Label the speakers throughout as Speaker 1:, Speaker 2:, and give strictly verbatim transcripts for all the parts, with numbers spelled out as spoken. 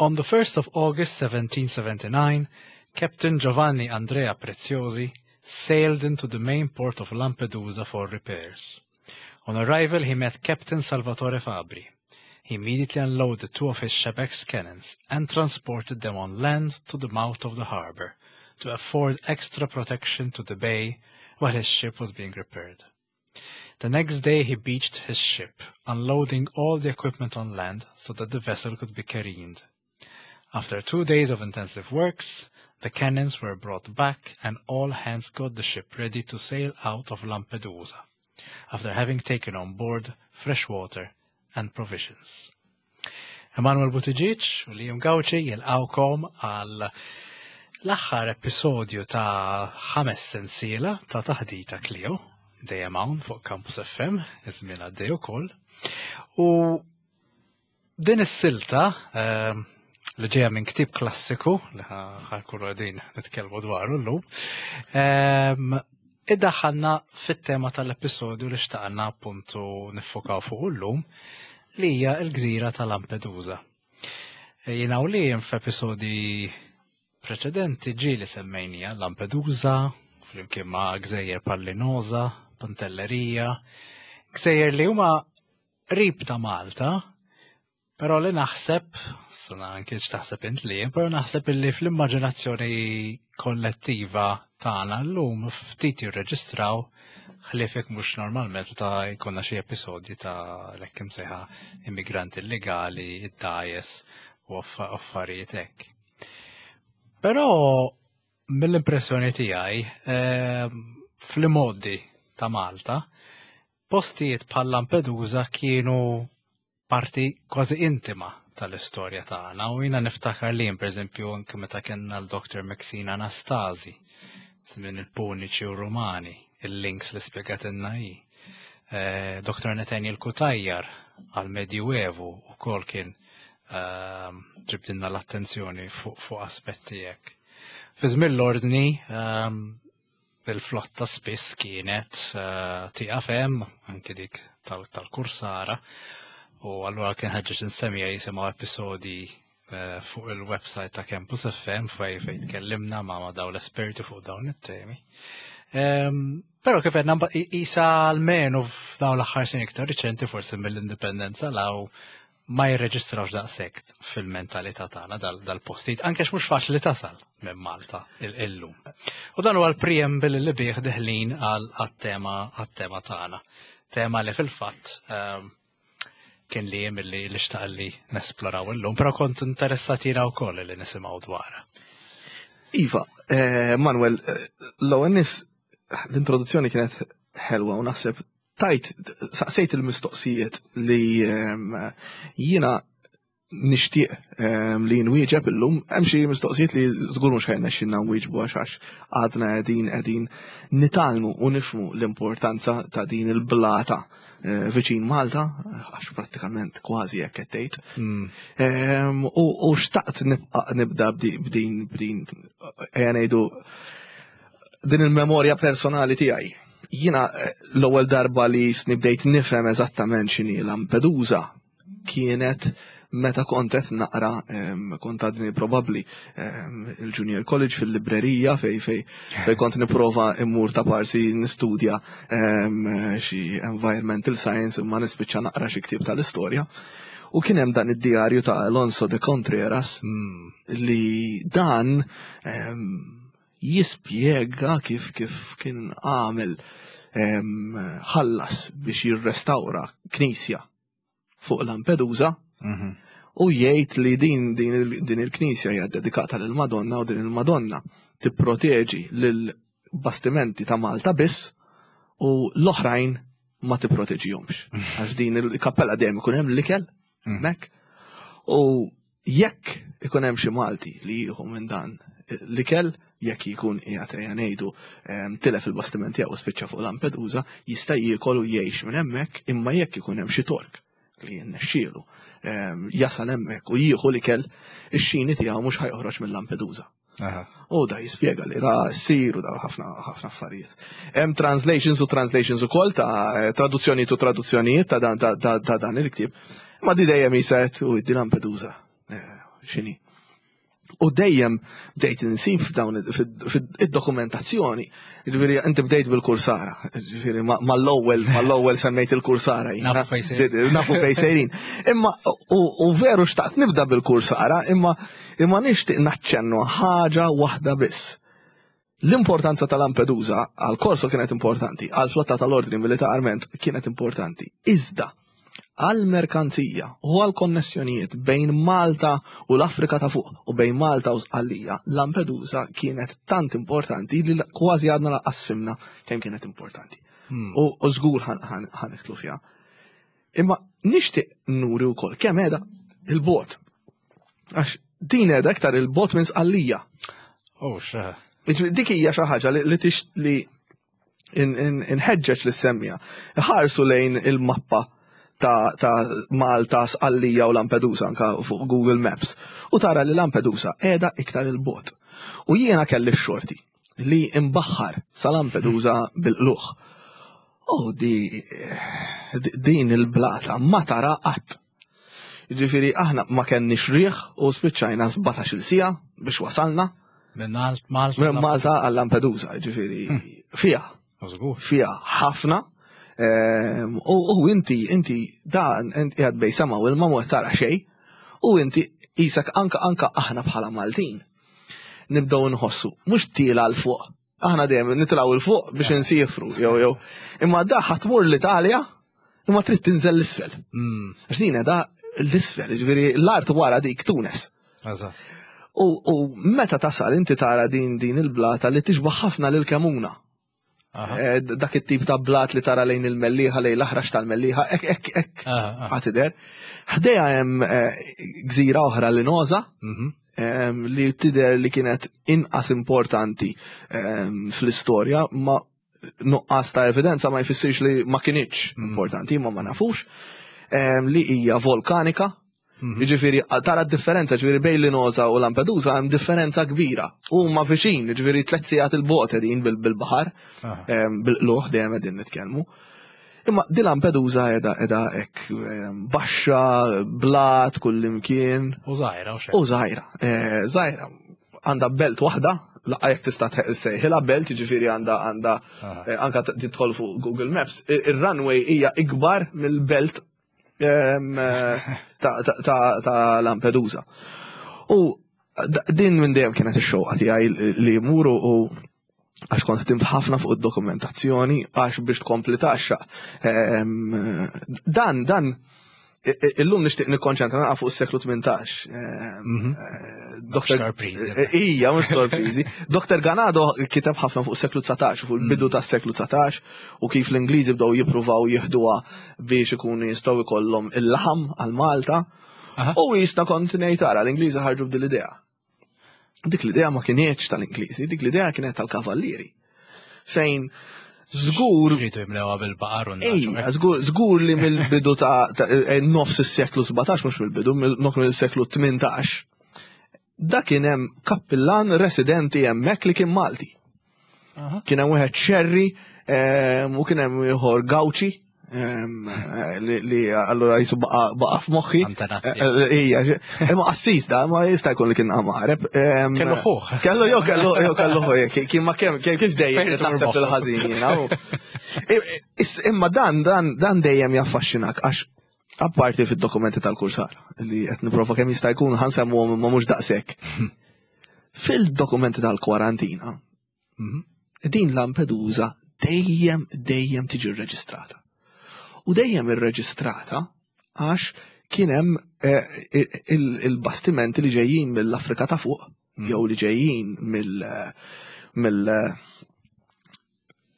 Speaker 1: On the first of August seventeen seventy-nine, Captain Giovanni Andrea Preziosi sailed into the main port of Lampedusa for repairs. On arrival, he met Captain Salvatore Fabri. He immediately unloaded two of his Shebex cannons and transported them on land to the mouth of the harbor to afford extra protection to the bay while his ship was being repaired. The next day he beached his ship, unloading all the equipment on land so that the vessel could be careened. After two days of intensive works, the cannons were brought back and all hands got the ship ready to sail out of Lampedusa, after having taken on board fresh water and provisions. Emanuel Buttigieg u Liam Gauci jilqawkom għal l-aħħar episodju ta' ħames sensiela ta' Taħdita Klio, dejjem hawn fuq Campus F M, iż-żmien għaddej ukoll. U din is-silta ehm, li ġejja minn ktieb klassiku li ħa nkunu qegħdin nitkellmu dwaru llum, ehm, iddaħħalna fit-tema tal-episodju li xtaqna appuntu niffokaw fuq illum, li hija l-gżira ta' Lampedusa. Jiena u li f'episodi preċedenti ġieli semmejnija Lampedusa, flimkien ma' gżejjer bħal Linosa, Pantellerija, gżejjer li huma qrib ta' Malta, però li naħseb, sana anke x'taħseb int li, però naħseb illi fl-immaġinazzjoni kollettiva tagħna llum ftit jirreġistraw, ħlief jekk mhux normalment ta' jkollna xi episodji ta' l-hekk imsejħa immigranti illegali, id-dgħajjes u affarijiet hekk. Però mill-impressjoni tiegħi ehm, fl-modi ta' Malta, postijiet bħal Lampedusa kienu parti kważi intima tal-istorja tagħna u jiena niftakar li, pereżempju, anke meta kellna l-Doktor Maxine Anastasi, żmien il-Puniċi u Rumani, il-links li spjegatilna hi. Eh, Doktor Nathaniel Cutajar għal-Medjuevu ukoll kien ehm, ġibdilna l-attenzjoni fuq fu aspetti hekk. Fi żmien l-ordni, ehm, il-flotta spiss kienet eh, tieqaf hemm, anke dik tal-Kursara, u allura kien ħeġġeġ insemmija jisimgħu episodi eh, fuq il-website ta' Campus F M fej fej tkellimna ma' ma' daw l-esperti fuq dawn it-temi. Ehm, Però kif għedna, isa almenu f'dawn l-aħħar snin iktar riċenti, forsi mill-indipendenza 'l hawn, ma jirreġistrawx daqshekk fil-mentalità tagħna dal-postijiet, anke mhux faċli tasal minn Malta illum. U dan huwa l-preamble li bih deħlin għat-tema għat-tema tagħna. Tema li fil-fatt ehm, kien li li li xtaq li nesploraw illum, però kont interessat jiena wkoll li nisimgħu dwarha.
Speaker 2: Iva, eh, Manuel, eh, l-ewwel nies l-introduzzjoni kienet ħelwa u naħseb tajt saqsejt il-mistoqsijiet li ehm, jiena nixtieq ehm, li nwieġeb illum. Hemm xi mistoqsijiet li żgur mhux ħa jirnexxilna nwieġbu għax għax għadna qegħdin qegħdin nitgħallmu u nifhmu l-importanza ta' din il-blata eh, viċin Malta, għax prattikament kważi hekk qed tgħid.
Speaker 1: Mm.
Speaker 2: Ehm, U u xtaqt nibqa' nibda bdi- b'din b'din ejja ngħidu din il-memorja personali tiegħi. Jiena eh, l-ewwel darba li bdejt nifhem eżattament x'inhi Lampedusa kienet meta kont qed naqra, em, kont għadni probabbli em, il-Junior College, fil-librerija fej fej fej kont nipprova immur ta' parsi nistudja em, xi environmental science imma nispiċċa naqra xi ktieb tal-istorja. U kien hemm dan id-djarju ta' Alonso de Contreras
Speaker 1: Mm.
Speaker 2: li dan em, jispjega kif kif kien għamel em, ħallas biex jirrestawra knisja fuq Lampedusa
Speaker 1: Mhm.
Speaker 2: u jgħid li din din il- din il-knisja hija dedikata lil Madonna u din il-Madonna tipproteġi lil bastimenti ta' Malta biss u l-oħrajn ma tipproteġihomx. Għax din il-kappella dejjem ikun hemm l-ikel hemmhekk u jekk ikun hemm xi Malti li jieħu minn dan l-ikel, jekk jkun qiegħed, ejja ngħidu, em, tilef il-bastiment tiegħu u spiċċa fuq Lampedusa, jista' jiekol u jgħix minn hemmhekk, imma jekk ikun hemm xi Tork li jinnexxielu em, jasal hemmhekk u jieħu l-ikel, ix-xini tiegħu mhux ħa joħroġ minn Lampedusa.
Speaker 1: Aha.
Speaker 2: U da jispjega li ra ssir u da ħafna ħafna affarijiet. Hemm translations u translations ukoll ta' traduzzjonijiet u traduzzjonijiet ta' dan ta' ta' ta' dan il-ktieb. Ma di dejjem jiset u di Lampedusa. Eh, x'inhi. U dejjem bdejt insib f'dawn id-dokumentazzjoni. Ġifieri inti bdejt bil-kursara, ġifieri mal-ewwel mal-ewwel semmejt il-kursara. Nafu fejn sejrin. Imma u veru xtaqt nibda bil-kursara, imma imma nixtieq naċċennu ħaġa waħda biss. L-importanza ta' Lampedusa għal Corso kienet importanti, għal flotta tal-ordni militarment kienet importanti. Iżda, għal merkanzija u għal konnessjonijiet bejn Malta u l-Afrika ta' fuq u bejn Malta u Sqallija, Lampedusa kienet tant importanti li kważi għadna lanqas fhimna kemm kienet importanti. Hmm. U żgur ħa nidħlu fiha. Imma nixtieq nuri wkoll kemm qiegħda 'il bogħod. Għax din qiegħda iktar 'il bogħod minn Sqallija.
Speaker 1: Oh, xa.
Speaker 2: Dik hija xi ħaġa li tix li inħeġġeġ li semmija. Ħarsu lejn il-mappa ta', ta Malta, Sqallija u Lampedusa anka fuq Google Maps. U tara li Lampedusa qiegħda iktar 'il bogħod. U jiena kelli x-xorti li imbaħħar sa Lampedusa bil-qlugħ. Oh, di, din il-blata ma tara qatt. Ġifieri aħna ma kenniex riħ u spiċċajna sbatax-il siegħa biex wasalna.
Speaker 1: Minn Malta.
Speaker 2: Minn Malta għal Lampedusa, ġifieri hmm. fija. Fija ħafna. Ehm, u inti, inti, da, inti qiegħed bejn sema u l-ma tara xejn, u inti qisek anka anka aħna bħala Maltin. Nibdew nħossu, mhux tiela 'l fuq. Aħna dejjem nitilgħu 'l fuq biex insifru, jew jew. Imma da ħa tmur l-Italja, imma trid tinżel 'l isfel. Hmm. Għax din da l-isfel, ġifieri l-art wara dik Tunes. U, u meta tasal inti tara din din il-blata li tixbaħ ħafna lil Kemuna. Eh, dak it-tip ta' blat li tara lejn il-Mellieħa, lejn l-Aħrax tal-Mellieħa, ek, ek, ek, għatider. Ħdejha hemm eh, gżira oħra Linosa, mhm. em, li tidher li kienet inqas importanti em, fl-istorja, ma nuqqas ta' evidenza ma jfissirx li ma kinitx importanti, ma ma nafux, em, li hija volkanika. Jiġifieri tara d-differenza, ġifieri bejn Linosa u Lampedusa hemm differenza kbira. Huma viċin, ġifieri tliet sigħat 'il bogħod qegħdin bil- bil-baħar, em, bil-qlugħ dejjem qegħdin nitkellmu. Imma di Lampedusa qiegħda qiegħda hekk em, baxxa, blat, kullimkien.
Speaker 1: U żgħira u xejn.
Speaker 2: U żgħira, eh, żgħira. Għandha belt waħda, laqqa jekk tista' sejħilha belt, ġifieri għandha għandha
Speaker 1: Aha.
Speaker 2: eh, anka tidħol fuq Google Maps. Ir-runway hija ikbar mill-belt em, eh, ta' ta' ta' ta' Lampedusa. U d- din minn dejjem kienet ix-xewqa tiegħi li jmuru u għax kont ħdimt ħafna fuq id-dokumentazzjoni għax biex tkompli taxxa. Em, Dan, dan, i- i- illum nixtieq nikkonċentra naqa fuq is-seklu tmintax. Em, eh, Doktor
Speaker 1: Sorpriżi.
Speaker 2: Eh, Ija, mhux sorpriżi. Doktor Ganado kiteb ħafna fuq is-seklu dsatax, fuq il-bidu tas-seklu dsatax u kif l-Ingliżi bdew jippruvaw jieħduha biex ikunu jistgħu jkollhom il-laħam għal Malta.
Speaker 1: Aha.
Speaker 2: U jisna kont ngħid tara l-Ingliżi ħarġu b'dil idea. Dik l-idea ma kinitx tal-Ingliżi, dik l-idea kienet tal-kavallieri. Fejn żgur
Speaker 1: Rridu jimlewha bil-baqar u
Speaker 2: Ejja, żgur żgur li mill-bidu ta' ta' eh, nofs is-seklu sbatax, mhux mill-bidu, mill mill-seklu tmintax. Da kien hemm kappillan residenti hemmhekk li kien Malti.
Speaker 1: Aha.
Speaker 2: Kien hemm wieħed Xerri em, u kien hemm ieħor Gawċi em, eh, li, li allura jisu baqa baqa f'moħħi.
Speaker 1: Antenati.
Speaker 2: Eh, eh, Ija, imma qassis da, ma jista' jkun li kien għareb. Em,
Speaker 1: Kellu ħuh.
Speaker 2: Kellu jew kellu jew kellu ħuh, kien ma kemm kif kif dejjem
Speaker 1: Fejn
Speaker 2: taħseb
Speaker 1: moħħu.
Speaker 2: il-ħażin jiena. u- I- is- Imma dan dan dan dejjem jaffaxxinak għax apparti fid-dokumenti tal-kursar li qed nipprova kemm jista' jkun ħa nsemmuhom imma mhux daqshekk. Fil-dokumenti tal-kwarantina,
Speaker 1: Mhm.
Speaker 2: din Lampedusa dejjem dejjem tiġi rreġistrata. U dejjem irreġistrata għax kien hemm eh, il- il-bastimenti li ġejjin mill-Afrika ta' fuq jew li ġejjin mill mill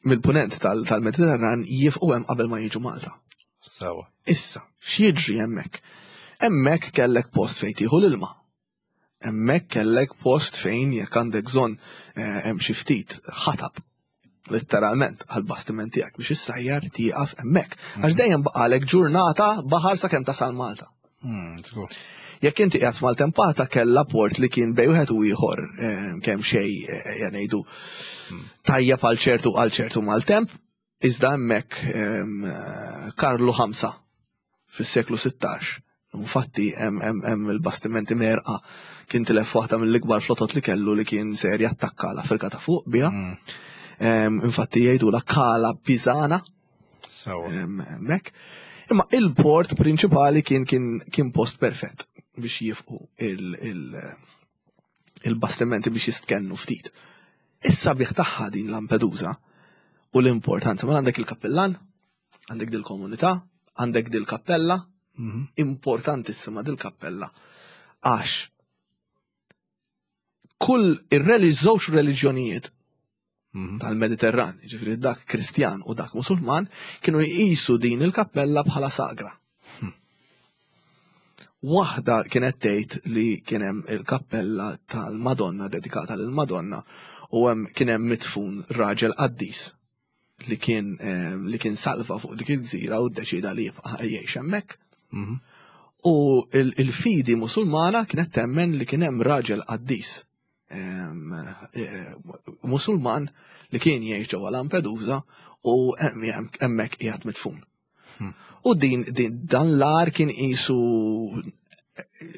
Speaker 2: mill-punent tal- tal-Mediterran jieqfu hemm qabel ma jiġu Malta.
Speaker 1: Sewa.
Speaker 2: Issa, x'jiġri hemmhekk? Hemmhekk kellek post fejn tieħu l-ilma. Hemmhekk kellek post fejn jekk għandek bżonn eh, hemm xi ftit ħatab letteralment għal-bastiment tiegħek biex issajjar tieqaf hemmhekk. Għax dejjem baqalek ġurnata baħar sakemm tasal Malta.
Speaker 1: Hmm, żgur.
Speaker 2: Jekk inti qiegħed maltempata kellha port li kien bejn wieħed u ieħor eh, kemm xejn eh, ja ngħidu tajjeb għal ċertu għal ċertu maltemp, iżda hemmhekk em, eh, Karlu Ħamsa fis-seklu sittax Infatti hemm il-bastimenti merqa kien tilef waħda mill-ikbar flotot li kellu li kien ser jattakka l-Afrika ta' fuq biha. Mm. Infatti jgħidu la Kala Pisana. Mek. Imma il-port prinċipali kien kien kien post perfett biex jifqu il-bastimenti biex jistkennu ftit. Issa biex tagħha din Lampedusa u l-importanza, ma għandek il-kappellan, għandek dil-komunità, għandek dil-kappella, mhm. importantissima dil-kappella, għax kull ir-żewġ reliġjonijiet mhm. tal-Mediterran, ġifieri dak Kristjan u dak Musulman, kienu jqisu din il-kappella bħala sagra. Hmm. Waħda kienet tgħid li kien hemm il-kappella tal-Madonna dedikata lill-Madonna u hemm kien hemm mitfun raġel qaddis li kien eh, li kien salva fuq dik il-gżira u ddeċida li jibqa' jgħix hemmhekk. Mhm. U il-fidi Musulmana kienet temmen li kien hemm raġel qaddis eh, Musulman li kien jgħix ġewwa Lampedusa u hemmhekk qiegħed mitfun. Hmm. U din, din dan l-għar kien qisu,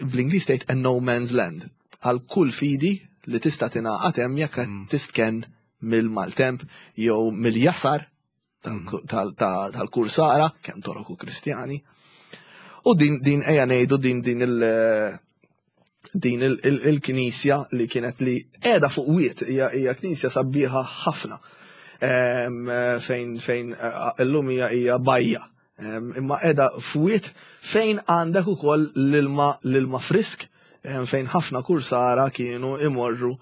Speaker 2: bl-Ingliż tgħid, a no man's land għal kull fidi li tista' tingħaqad hemm jekk hmm. tistken mill-maltemp jew mill-jasar hmm. tal-kursara, kemm Torok u Kristjani. U din din ejja ngħidu din din il- din il-knisja li kienet li qiegħda fuq wiet, hija knisja sabiħa ħafna, fejn fejn illum hija hija bajja. Imma qiegħda f'wiet fejn għandek ukoll l-ilma l-ilma frisk, fejn ħafna kursara kienu imorru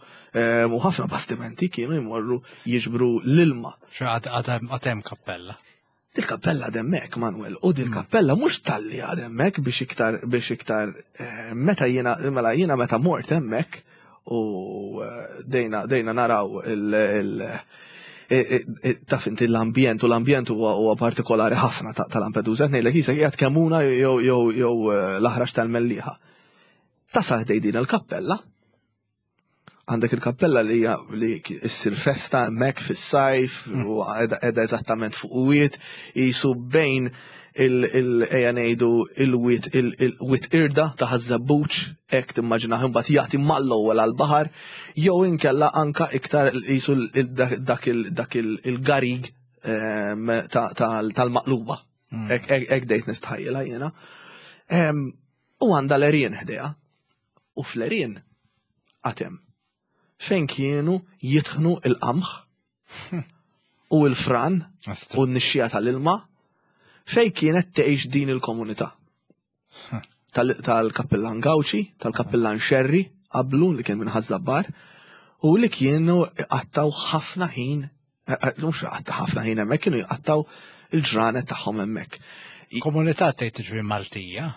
Speaker 2: u ħafna bastimenti kienu imorru jiġbru l-ilma.
Speaker 1: Għad hemm kappella.
Speaker 2: Dil-kappella għadhemmhekk, Manuel, u dil-kappella mhux talli għadhemmhekk biex iktar biex iktar eh, meta jiena mela jiena meta mort hemmhekk u eh, dejna dejna naraw il- il- taf inti l-ambjent, u l-ambjent huwa huwa partikolari ħafna ta' Lampedusa, ngħidlek qisek qiegħed Kemmuna jew jew jew eh, l-Aħrax tal-Mellieħa. Tasal ħdejn din il-kappella, għandek il-kappella li hija li issir festa hemmhekk fis-sajf u qiegħda eżattament fuq wiet qisu bejn il ejja ngħidu il-wiet il-wiet irda ta' Ħaż-Żebbuġ, hekk timmaġinaħ, imbagħad jagħti mal-ewwel għall-baħar, jew inkella anka iktar qisu dak dak il-garig ehm, tal-Maqluba. Hmm. Hekk dejt nistħajjilha jiena. Ehm, u għandha l-għerien ħdejha. U fl-għerien għad hemm fejn kienu jitħnu il-qamħ u l-fran u n-nixxija tal-ilma fejn kienet tgħix din il-komunità. Tal-kappillan Gawċi, tal-kappillan Xerri, qablu li kien minn Ħaż-Żabbar, u li kienu qattaw ħafna ħin, eh, eh, mhux qatta ħafna ħin hemmhekk, kienu jqattaw il-ġranet tagħhom hemmhekk.
Speaker 1: Komunità tgħid tiġri Maltija?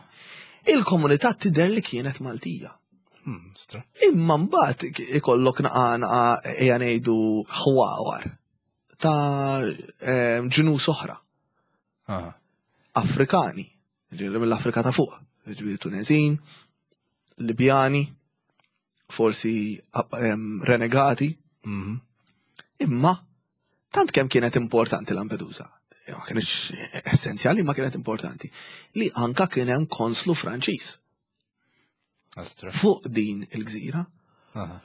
Speaker 2: Il-komunità tidher li kienet Maltija.
Speaker 1: Hmm, stra.
Speaker 2: Imma mbagħad ikollok naqa naqa ejja ngħidu ħwawar ta' eh, ġnus oħra.
Speaker 1: Ah.
Speaker 2: Afrikani, ġifieri mill-Afrika ta' fuq, ġifieri Tunezin, Libjani, forsi em, renegati,
Speaker 1: Mhm.
Speaker 2: imma tant kemm kienet importanti Lampedusa, ma kienx essenzjali, ma kienet importanti, li anka kien hemm konslu Franċiż
Speaker 1: Astra.
Speaker 2: fuq din il-gżira.
Speaker 1: Aha.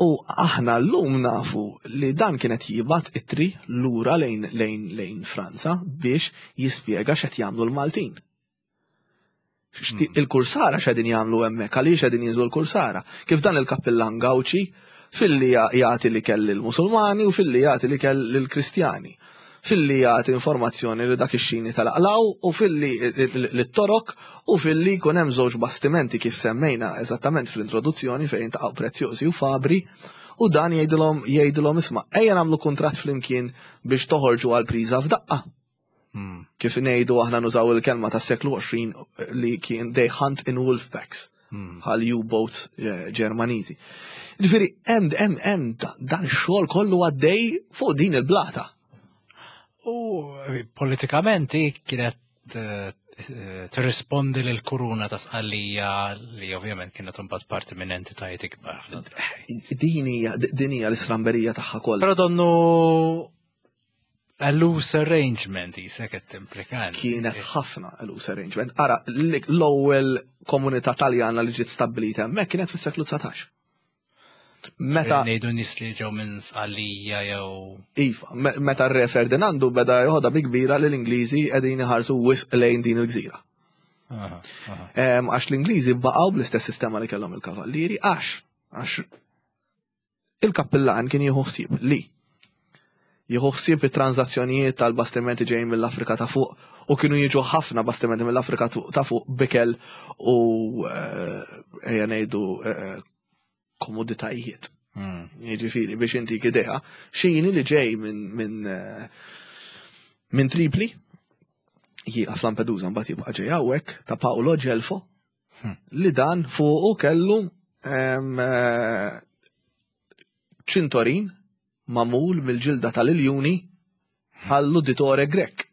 Speaker 2: U aħna l-lum nafu li dan kienet jibgħat ittri lura lejn lejn lejn Franza biex jispjega x'qed jagħmlu l-Maltin. Xti- Il-kursara x'qegħdin jagħmlu hemmhekk, għaliex qegħdin jinżlu l-kursara. Kif dan il-kappillan Gawċi filli jagħti li kell il-Musulmani u filli jagħti li kell il-Kristjani. Filli jagħti informazzjoni li dak ix-xini tal-aqlaw u filli l-Torok u filli jkun hemm żewġ bastimenti kif semmejna eżattament fl-introduzzjoni fejn taqgħu Preziosi u Fabri, u dan jgħidilhom jgħidilhom isma', ejja nagħmlu kuntratt flimkien biex toħorġu għal priża f'daqqa.
Speaker 1: Hmm.
Speaker 2: Kif ngħidu aħna, nużaw il-kelma tas-seklu għoxrin li kien "they hunt in wolf packs"
Speaker 1: Hmm.
Speaker 2: bħal U-boats eh, Ġermaniżi. Ġifieri hemm hemm hemm dan ix-xogħol kollu għaddej fuq din il-blata.
Speaker 1: U eh, politikament hi kienet eh, eh, tirrispondi lil kuruna ta' Sqallija li ovvjament kienet imbagħad parti minn entitajiet ikbar ħafna drabi.
Speaker 2: Din hija din hija l-istramberija tagħha kollha.
Speaker 1: Però donnu A loose arrangement jisek qed timplika.
Speaker 2: Kienet ħafna a loose arrangement. Ara, l-ewwel komunità Taljana li ġiet stabbilita hemmhekk kienet fis-seklu dsatax.
Speaker 1: Meta ngħidu nies li ġew minn Sqallija jew
Speaker 2: Iva, meta r-Re Ferdinandu beda joħodha bi kbira li l-Ingliżi qegħdin iħarsu wisq lejn din il-gżira. Għax l-Ingliżi baqgħu bl-istess sistema li kellhom il-kavallieri, għax għax il-kappillan kien jieħu ħsieb li jieħu ħsieb it-transazzjonijiet tal-bastimenti ġejjin mill-Afrika ta' fuq, u kienu jiġu ħafna bastimenti mill-Afrika ta' fuq b'ikel u ejja ngħidu komoditajiet. Jiġifieri biex inti idea, xini li ġej minn minn minn Tripli jieqaf Lampedusa, mbagħad jibqa' ġej hawnhekk ta' Paolo Gelfo, li dan fuqu kellu ċintorin magħmul mill-ġilda tal-iljuni għall-uditore Grek.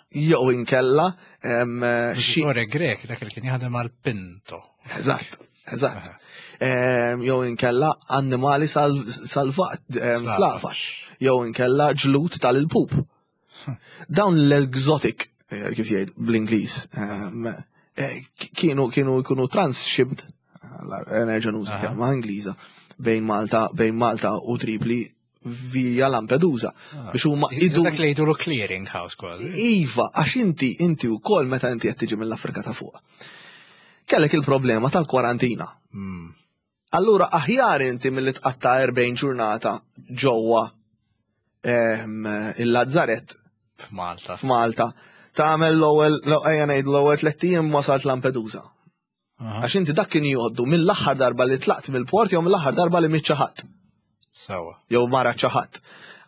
Speaker 2: Jew inkella
Speaker 1: xi Uditore Grek, dak li kien jaħdem għal Pinto.
Speaker 2: Eżatt, eżatt. Jew inkella annimali salvat, slavax. Jew inkella ġlud tal-ilpup. Dawn l-exotic, kif jgħid bl-Ingliż, kienu kienu jkunu transshipped, nerġa' nuża kelma Ingliża, bejn Malta bejn Malta u Tripli via Lampedusa. Biex huma
Speaker 1: idu. Dak li jgħidu clearing house kważi.
Speaker 2: Iva, għax inti inti wkoll meta inti qed tiġi mill-Afrika ta' fuq, kellek il-problema tal-kwarantina. Allura aħjar inti milli tqatta' erbgħin ġurnata ġewwa il-Lazzaret
Speaker 1: f'Malta.
Speaker 2: F'Malta. Tagħmel l-ewwel, ejja ngħid, l-ewwel tliet ijiem wasalt Lampedusa. Għax inti dak kien jgħoddu mill-aħħar darba li tlaqt mill-port jew mill-aħħar darba li miet xi ħadd.
Speaker 1: Sewwa.
Speaker 2: Jew mara xi ħadd.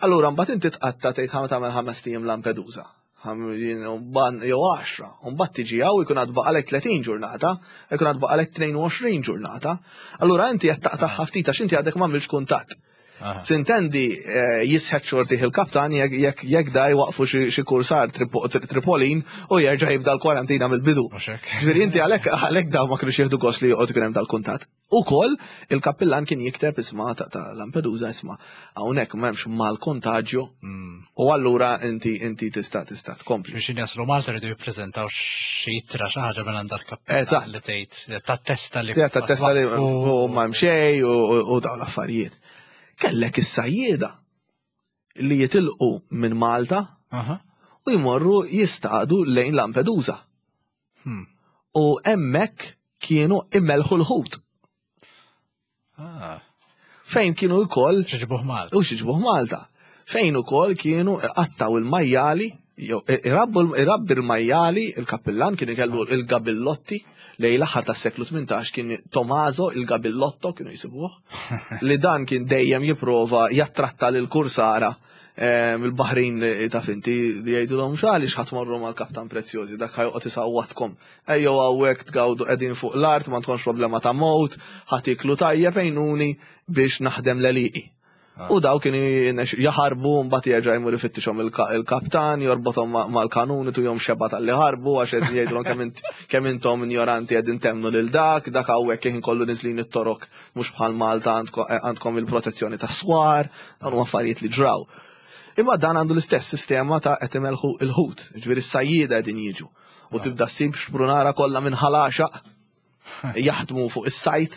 Speaker 2: Allura mbagħad inti tqatta' tgħid ħa tagħmel ħames ijiem Lampedusa. Jew għaxra, u mbagħad tiġi hawn jkun għad baqalek tletin ġurnata, jkun għad baqalek tnejn u għoxrin ġurnata. Allura inti qed taqta' ftit għax inti għadek m'għamilx kuntatt. Sintendi, jisħet xortih il-kaptan jekk da jwaqfu xi kursar Tripolin u jerġa' jibda l-kwarantina mill-bidu. Ġifieri inti għalhekk għalhekk daw ma kienux jieħdu gost li joqgħod ikun hemm dal-kuntatt. Ukoll il-kappillan kien jikteb isma' ta' Lampedusa, isma' hawnhekk m'hemmx mal-kontaġġju u allura inti inti tista' tista' tkompli.
Speaker 1: Biex jaslu Malta rridu jippreżentaw xi ittra, xi ħaġa minn għand il-kappillan li tgħid tat-testa li
Speaker 2: Tat-testa li u ma hemm xejn u dawn l-affarijiet. Kellek is-sajjieda li jitilqu minn Malta u jmorru jistaqdu lejn Lampedusa. U hemmhekk kienu immelħu l-ħut. Fejn kienu wkoll
Speaker 1: Xiġbuh Malta.
Speaker 2: U xiġbuh Malta. Fejn ukoll kienu qattaw il-majjali, jew irabbi il-majjali, il-kappillan kien ikellu il-gabillotti lejn l-aħħar tas-seklu tmintax, kien Tommaso il-Gabillotto kienu jisibuh, li dan kien dejjem jipprova jattratta lil kursara il-baħrin ta' finti li jgħidulhom, "X'għaliex ħadd morru mal-Kaptan Preziosi, dak ħa joqgħod isawwatkom. Ejjew hawnhekk tgawdu, qegħdin fuq l-art, ma tkunx problema ta' mowt, ħa tiklu tajjeb, għinuni biex naħdem l-għelieqi." U daw kienu jaħarbu, mbagħad jerġa' jmur ifittixhom il-kaptan, jorbothom mal-kanuni, tuhom xebgħa talli ħarbu, għax qed jgħidulhom, "Kemm intom ignoranti, qegħdin temmnu lil dak, dak hawnhekk kien kollu niżlin it-torok, mhux bħal Malta, għandkom il-protezzjoni tas-swar." Dawn huma affarijiet li ġraw. Imma dan għandu l-istess sistema ta' qed imelħu il-ħut, ġifieri s-sajjieda qegħdin jiġu. U tibda ssib xprunara kollha minn Ħal Għaxaq jaħdmu fuq is-sajt,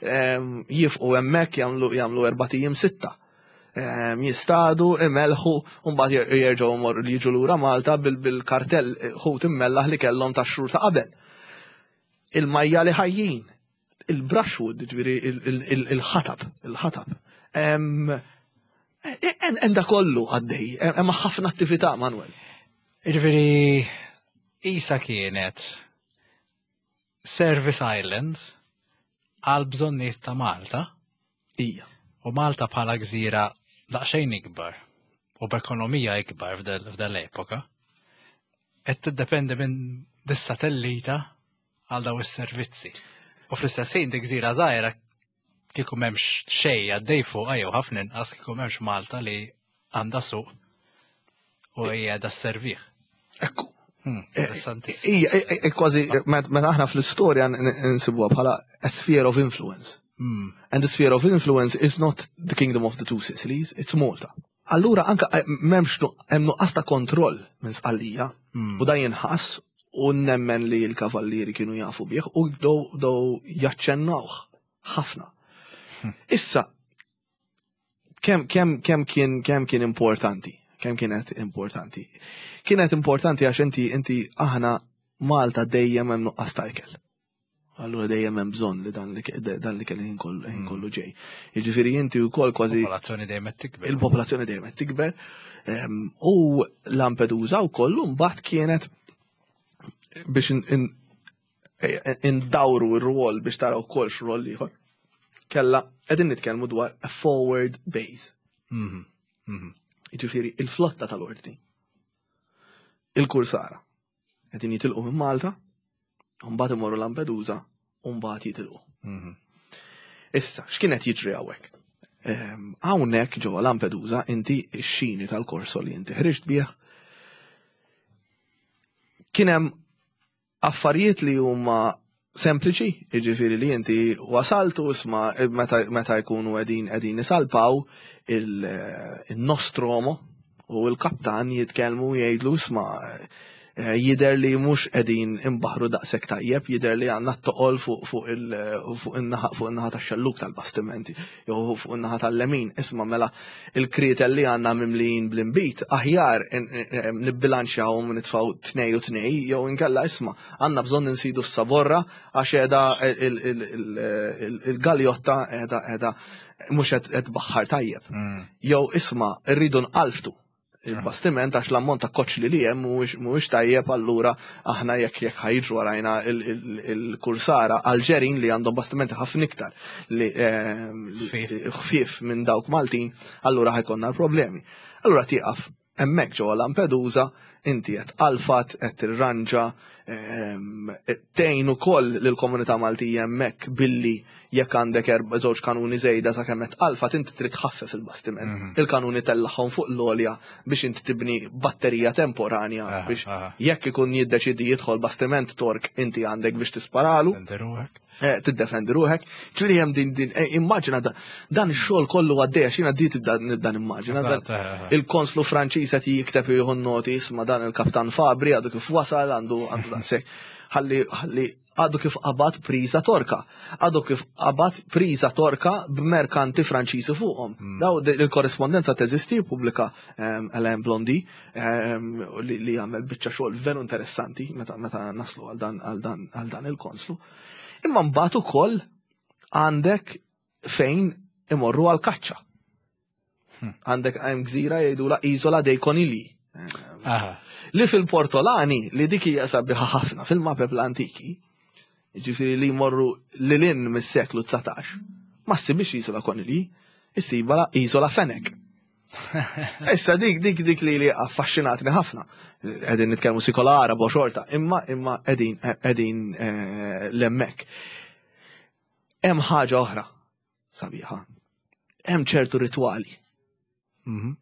Speaker 2: jifqu hemmhekk, jagħmlu jagħmlu erbat ijiem, sitta. Jistadu, imelħu, u mbagħad jerġgħu jmorru li jiġu lura Malta bil-kartell ħut immellaħ li kellhom ta' xhur ta' qabel. Il-majjali ħajjin, il-brushwood, ġifieri il-ħatab, il-ħatab. Enda kollu għaddej, hemm ħafna attività, Manuel.
Speaker 1: Ġifieri, isa kienet Service Island għal bżonnijiet ta' Malta.
Speaker 2: Ija.
Speaker 1: U Malta bħala gżira daqsxejn ikbar u b'ekonomija ikbar f'dal-epoka, qed tiddependi minn dis-satellita għal daw is-servizzi. U fl-istess ħin dik gżira żgħira kieku m'hemmx xejn għaddej fuq jew ħafna inqas kieku m'hemmx Malta li għandha suq u hija da servih.
Speaker 2: Ekku.
Speaker 1: Hmm,
Speaker 2: Ija, kważi, meta aħna fl-istorja nsibuha bħala a sphere of influence.
Speaker 1: Hmm.
Speaker 2: And the sphere of influence is not the Kingdom of the Two Sicilies, it's Malta. Allura anka eh, m'hemmx hemm nuqqas ta' kontroll minn Sqallija
Speaker 1: Mm.
Speaker 2: u da jinħass u nemmen li l-kavallieri kienu jafu bih u bdew bdew jaċċennawh ħafna. Issa, kemm kemm kemm kien kemm kien importanti? Kemm kienet importanti? Kienet importanti għax inti inti aħna Malta dejjem hemm nuqqas ta' ikel. Allura dejjem hemm bżonn li dan li dan li kelli kollu ħin kollu ġej. Jiġifieri inti wkoll kważi
Speaker 1: Popolazzjoni dejjem qed tikber.
Speaker 2: Il-popolazzjoni dejjem qed tikber. Ehm, U Lampedusa wkoll mbagħad kienet biex in- in- indawru r-rwol biex taraw ukoll x'rol ieħor. Kella qegħdin nitkellmu dwar a forward base.
Speaker 1: Mhm. Mhm.
Speaker 2: Jiġifieri il-flotta tal-ordni. Il-kursara. Qegħdin jitilqu minn Malta, u mbagħad imorru Lampedusa, u mbagħad jitilqu.
Speaker 1: Mhm.
Speaker 2: Issa, x'kienet jiġri hawnhekk? Ehm, Hawnhekk ġewwa Lampedusa inti x-xini tal-korso li inti ħriġt bih kien hemm affarijiet li huma sempliċi, jiġifieri li inti wasaltu, isma' meta, meta jkunu qegħdin qegħdin isalpaw il-Nostromo u l-kaptan jitkellmu, jgħidlu, "Isma', eh, jider li mhux qegħdin imbaħru daqshekk tajjeb, jider li għandna toqol fuq fuq il fuq in-naħa fuq in-naħa tax-xelluk tal-bastimenti jew fuq in-naħa tal-lemin. Isma', mela il-krietel li għandna mimlijin bl-imbit aħjar nibbilanċjawhom u nitfgħu tnej u tnej, jew inkella isma', għandna bżonn insidu s-saborra għax qiegħda il-galjotta qiegħda qiegħda mhux qed baħħar tajjeb.
Speaker 1: Mm.
Speaker 2: Jew isma', rridu nqalftu il-bastiment għax l-ammont ta' koċli li hemm mhuwiex mhuwiex tajjeb, allura aħna jekk jekk ħa jiġru warajna il-kursara Alġerin li għandhom bastimenti ħafna iktar li ehm, li-
Speaker 1: Ħfief.
Speaker 2: ħfief minn dawk Maltin, allura ħa jkollna l-problemi." Allura tieqaf hemmhekk ġewwa Lampedusa, inti qed alfat, qed tirranġa, ehm, tgħin ukoll lill-komunità Maltija hemmhekk billi jekk għandek erba' żewġ kanuni żejda sakemm qed alfat, inti trid tħaffef il-bastiment.
Speaker 1: Mhm.
Speaker 2: Il-kanuni tellagħhom fuq l-għolja biex inti tibni batterija temporanja
Speaker 1: Aha,
Speaker 2: biex
Speaker 1: aha.
Speaker 2: jekk ikun jiddeċidi jidħol bastiment Tork, inti għandek biex tisparalu,
Speaker 1: Defendi ruħek.
Speaker 2: eh, tiddefendi ruħek. Ġifieri hemm din din eh, immaġina da- dan ix-xogħol kollu għaddej, għax jiena di tibda nibda nimmaġina. dan-
Speaker 1: Eżatt, eh, eh.
Speaker 2: Il-konslu Franċiż qed jikteb, jieħu noti, "Isma', dan il-kaptan Fabri għadu kif wasal, għandu għandu daqshekk." Ħalli ħalli għadu kif qabad priża Torka. Għadu kif qabad priża Torka b'merkanti Franċiżi fuqhom. Daw il-korrespondenza teżisti, pubblika um, Alain Blondy um, li, li għamel biċċa xogħol veru interessanti meta meta naslu għal dan għal dan għal dan il-konslu. Imma mbagħad ukoll għandek fejn imorru għal kaċċa. Għandek hemm gżira jgħidula Isola dei Conigli.
Speaker 1: Aha.
Speaker 2: Li fil-Portolani, li dik hija sabiħa ħafna fil-mapep l-antiki, ġifieri li jmorru lil hinn mis-seklu dsatax, ma ssibix Isola Conigli, issibha Isola Fenek. Issa dik dik dik li li affaxxinatni ħafna. Qegħdin nitkellmu sikola Arabo xorta, imma imma qegħdin qegħdin eh, hemmhekk. Hemm ħaġa oħra sabiħa. Hemm ċertu ritwali.
Speaker 1: Mhm.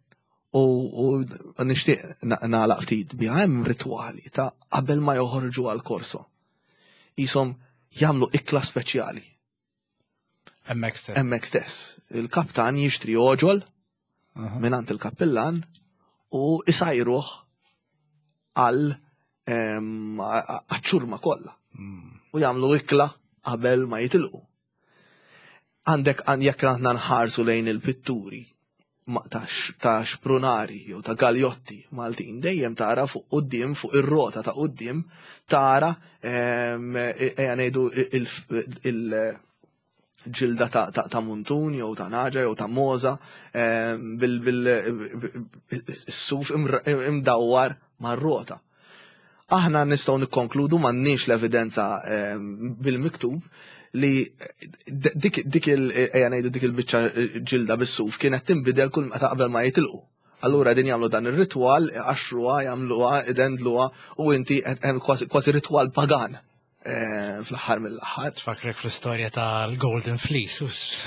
Speaker 2: U, u nixtieq nagħlaq ftit biha. Hemm ritwali ta' qabel ma joħorġu għal korso. Jisom jagħmlu ikla speċjali.
Speaker 1: Hemmhekk stess.
Speaker 2: Hemmhekk stess. Il-kaptan jixtri oġol
Speaker 1: Aha.
Speaker 2: mingħand il-kappillan u isajruh għal em, għaċ-ċurma kollha.
Speaker 1: Mm.
Speaker 2: U jagħmlu ikla qabel ma jitilqu. Għandek għan jekk aħna nħarsu lejn il-pitturi ma- ta' x- ta' xprunari jew ta' galjotti Maltin, dejjem tara fuq quddiem, fuq ir-rota ta' quddiem, tara em, e- ejja ngħidu il- il-ġilda ta', ta, ta' muntun jew ta' nagħġa jew ta' mogħża bil-suf imdawwar mar-rota. Aħna nistgħu nikkonkludu, m'għandniex l-evidenza em, bil-miktub, li dik dik il ejja ngħidu dik il-biċċa ġilda bis-suf kienet tinbidel kull meta qabel ma jitilqu. Allura din jagħmlu dan ir-ritwal, iqaxxruha, jagħmluha, idendluha u inti hemm kważi kważi ritwal pagan eh, fl-aħħar mill-aħħar.
Speaker 1: Tfakrek fl-istorja tal-Golden Fleece, us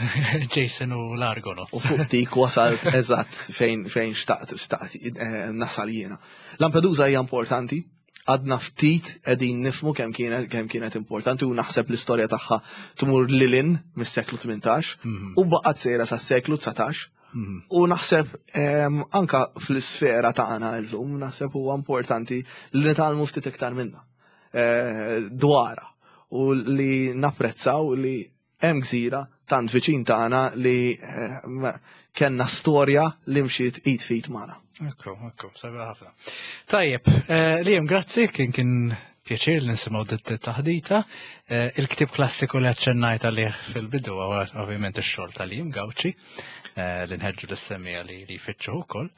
Speaker 1: Jason u l-Argonauts.
Speaker 2: U fuq dik wasal eżatt fejn fejn xtaqt xtaqt eh, nasal jiena. Lampedusa hija importanti, għadna ftit qegħdin nifhmu kemm kienet kemm kienet importanti u naħseb l-istorja tagħha tmur lil hinn mis-seklu tmintax
Speaker 1: Mhm.
Speaker 2: u baqgħet sejra sas-seklu dsatax. U naħseb em, anka fl-isfera tagħna llum naħseb huwa importanti li nitgħallmu ftit iktar minna eh, dwarha u li napprezzaw li hemm gżira tant viċin tagħna li eh, ma- kellna storja li mxiet id f'id magħna.
Speaker 1: Ekku, ekku, sabiħ ħafna. Tajjeb, eh, Liam, grazzi, kien kien pjaċir li nisimgħu dit taħdita. Eh, Il-ktib klassiku li aċċennajt għalih fil-bidu huwa ovvjament ix-xogħol ta' Liam Gauci, eh, li nħeġġu lis-semmiegħa li li jfittxu ukoll.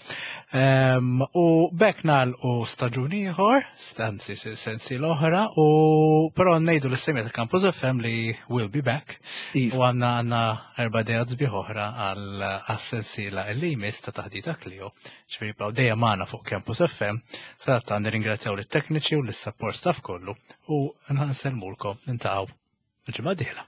Speaker 1: Ehm, U b'hekk nagħlqu staġun ieħor, anzi sensi l-oħra, u però ngħidu lis-semmiegħa ta' Campus F M li will be back.
Speaker 2: Iva.
Speaker 1: U għandna għandna erba' ideat sbieħ oħra għal għas-sensiela li jmiss ta' taħdita Klio. Ġifieri ibqgħu dejjem magħna fuq Campus F M. Sadattant nirringrazzjaw lit-tekniċi u lis-support staff kollu u nsellmulkom, niltaqgħu il-ġimgħa dieħla.